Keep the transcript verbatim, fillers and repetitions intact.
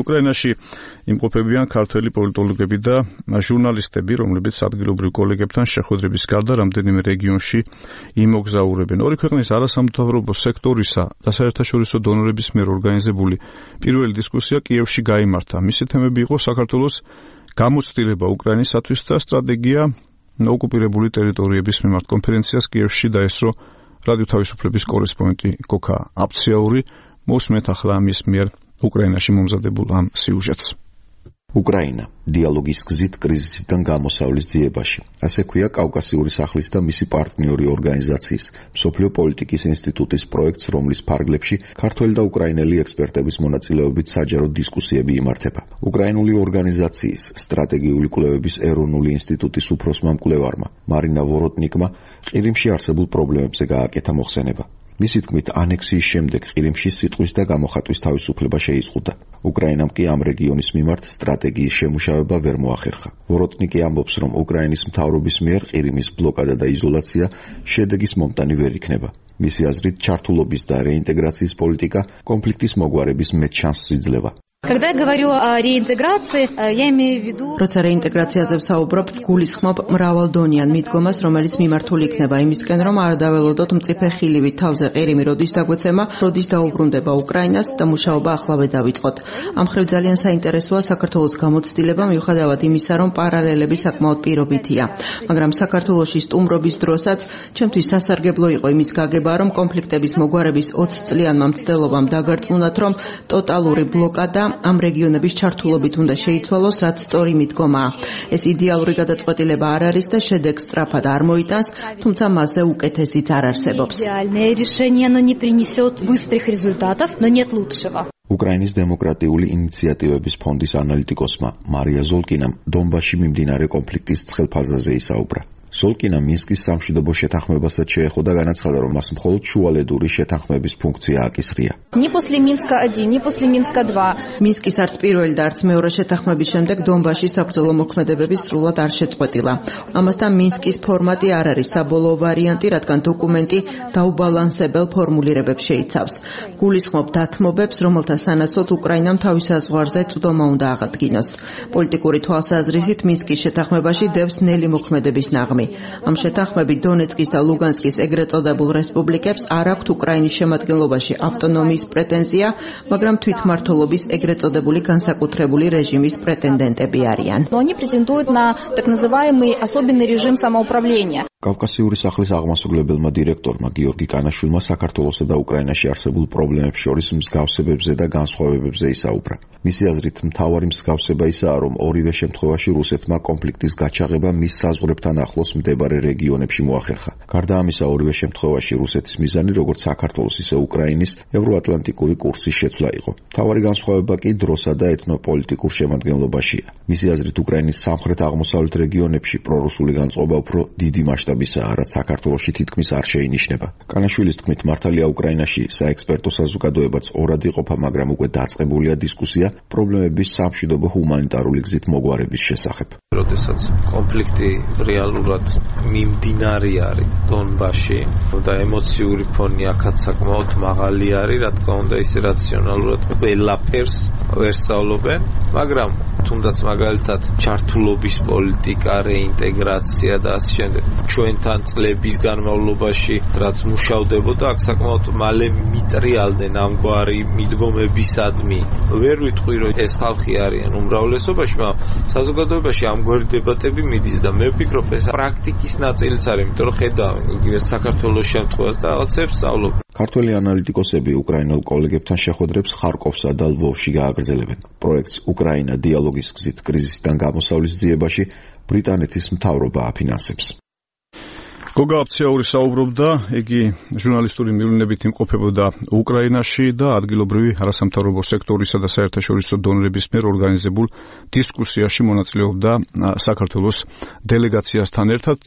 უკრაინაში იმყოფებიან ქართველი პოლიტოლოგები და ჟურნალისტები, რომლებიც ადგილობრივ კოლეგებთან შეხვედრების გარდა რამდენიმე რეგიონში იმოგზაურებენ. ორი ქვეყნის არასამთავრობო სექტორისა და საერთაშორისო დონორების მიერ ორგანიზებული პირველი დისკუსია კიევში გაიმართა. მისი თემები იყო საქართველოს გამოცდილება უკრაინისათვის და სტრატეგია ოკუპირებული ტერიტორიების მიმართ. კონფერენციას კიევში დაესწრო რადიო თავისუფლების კორესპონდენტი გოქა აფციაური. მოსმენთ ახლა ამის მიერ უკრაინაში მომზადებულ ამ სიუჟეტს. უკრაინა დიალოგის გზით კრიზისიდან გამოსავლის ძიებაში. ასე ქვია კავკასიური სახლის და მისი პარტნიორი ორგანიზაციის მსოფლიო პოლიტიკის ინსტიტუტის პროექტს, რომლის ფარგლებში ქართველი და უკრაინელი ექსპერტების მონაწილეობით საჯარო დისკუსიები იმართება. უკრაინული ორგანიზაციის სტრატეგიული კვლევების ეროვნული ინსტიტუტის უფროსმა მკვლევარმა მარინა ვოროტნიკმა ყირიმში არსებულ პრობლემებზე გააკეთა მოხსენება. მისი თქმით, ანექსიის შემდეგ ყირიმში სიტყვის და გამოხატვის თავისუფლება შეიზღუდა. უკრაინამ კი ამ რეგიონის მიმართ სტრატეგიის შემუშავება ვერ მოახერხა. ვოროტნიკი ამბობს, რომ უკრაინის მთავრობის მიერ ყირიმის ბლოკადა და იზოლაცია შედეგის მომტანი ვერ იქნება. მისი აზრით, ჩართულობის და რეინტეგრაციის პოლიტიკა კონფლიქტის მოგვარების მეტ შანსს იძლევა. Когда я говорю о реинтеграции, я имею в виду... Როცა რეინტეგრაციაზე ვსაუბრობ, გულისხმობ მრავალდონიან მიდგომას, რომელიც მიმართული იქნება იმისკენ, რომ არ დაველოდოთ მწიფე ხილივით თავზე ყირიმი როდის დაგვეცემა, როდის დაუბრუნდება უკრაინას და მუშაობა ახლავე დავიწყოთ. ამ ხრივ ძალიან საინტერესოა საქართველოს გამოცდილება, მიუხედავად იმისა, რომ პარალელები საკმაოდ პირობითია. მაგრამ საქართველოში სტუმრობის დროსაც ჩემთვის სასარგებლო იყო იმის გაგება, რომ კონფლიქტების მოგვარების ოცი წლიანმა მცდელობამ დაგარწმუნათ, რომ ტოტალური ბლოკადა ამ რეგიონების ჩართულობით უნდა შეიცვალოს, რაც სწორი მიდგომაა. ეს იდეალური გადაწყვეტილება არ არის და შედეგს სწრაფად არ მოიტანს, თუმცა მასზე უკეთესიც არ არსებობს. უკრაინის დემოკრატიული ინიციატივების ფონდის ანალიტიკოსმა მარია ზოლკინამ დონბასში მიმდინარე კონფლიქტის ცხელ ფაზაზე ისაუბრა. ზოლკინა მინსკის სამშვიდობო შეთანხმებასაც შეეხო და განაცხადა, რომ მას მხოლოდ შუალედური შეთანხმების ფუნქცია აკისრია. Ни после Минска один, ни после Минска два. მინსკის არც პირველი და არც მეორე შეთანხმების შემდეგ დონბასში საბრძოლო მოქმედებები სრულად არ შეწყვეტილა. ამასთან მინსკის ფორმატი არ არის საბოლოო ვარიანტი, რადგან დოკუმენტი დაუბალანსებელ ფორმულირებებს შეიცავს. გულისხმობ დათმობებს, რომელთა სანაცვლოდ უკრაინამ თავის საზღვარზე წვდომა უნდა აღადგინოს. პოლიტიკური თვალსაზრისით მინსკის შეთანხმებაში დევს ნელი მოქმედების ნაღმი. ამ შეთანხმებით დონეცკის და ლუგანსკის ეგრეთ წოდებულ რესპუბლიკებს არ აქვთ უკრაინის შემადგენლობაში ავტონომიის პრეტენზია, მაგრამ თვითმმართველობის ეგრეთ წოდებული განსაკუთრებული რეჟიმის პრეტენდენტები არიან. Они претендуют на так называемый особенный режим самоуправления. კავკასიური სახლის აღმასრულებელმა დირექტორმა გიორგი კანაშვილმა საქართველოსა და უკრაინაში არსებულ პრობლემებს შორის მსგავსებებზე და განსხვავებებზე ისაუბრა. მისი აზრით, მთავარი მსგავსება ისაა, რომ ორივე შემთხვევაში რუსეთმა კონფლიქტის გაჩაღება მის საზღვრებთან ახლოს მდებარე რეგიონებში მოახერხა. გარდა ამისა, ორივე შემთხვევაში რუსეთის მიზანი როგორც საქართველოს, ისე უკრაინის ევროატლანტიკური კურსის შეცვლა იყო. მთავარი განსხვავება კი დროსა და ეთნოპოლიტიკურ შემადგენლობაშია. მისი აზრით, უკრაინის სამხრეთ-აღმოსავლეთ რეგიონებში პრორუსული განწყობა უფრო დიდი მასშტაბისაა, რაც საქართველოში თითქმის არ შეინიშნება. კანაშვილის თქმით, მართალია უკრაინაში საექსპერტო საზოგადოებაც ორად იყოფა, მაგრამ უკვე დაწყებულია დისკუსია პრობლემების სამშვიდობო ჰუმანიტარული გზით მოგვარების შესახებ. როდესაც კონფლიქტი რეალურად მიმდინარე არის დონბასში და ემოციური ფონი აქაც საკმაოდ მაღალი არის, რა თქმა უნდა, ისე რაციონალურად ყველაფერს ვერ სწავლობენ, მაგრამ თუნდაც მაგალითად ჩართულობის პოლიტიკა, რეინტეგრაცია და ასე შემდეგ. ჩვენთან წლების განმავლობაში რაც მუშავდებოდა, აქ საკმაოდ მალე მიტრიალდნენ ამგვარი მიდგომებისადმი. ვერ ვიტყვი, რომ ეს ხალხი არიან უმრავლესობაში, მაგრამ საზოგადოებაში ამგვარი დებატები მიდის და მე ვფიქრობ, ეს პრაქტიკის ნაწილიც არის, იმიტომ რომ ხედავ იგივე საქართველოს შემთხვევას და რაღაცებს სწავლობ. ქართველი ანალიტიკოსები უკრაინელ კოლეგებთან შეხვედრებს ხარკოვსა და ლვოვში გააგრძელებენ. პროექტს უკრაინა დიალოგის გზით კრიზისიდან გამოსავლის ძიებაში ბრიტანეთის მთავრობა აფინანსებს. გოგა აფციაური საუბრობდა, იგი ჟურნალისტური მივლინებით იმყოფებოდა უკრაინაში და ადგილობრივი არასამთავრობო სექტორისა და საერთაშორისო დონორების მიერ ორგანიზებულ დისკუსიაში მონაწილეობდა საქართველოს დელეგაციასთან ერთად.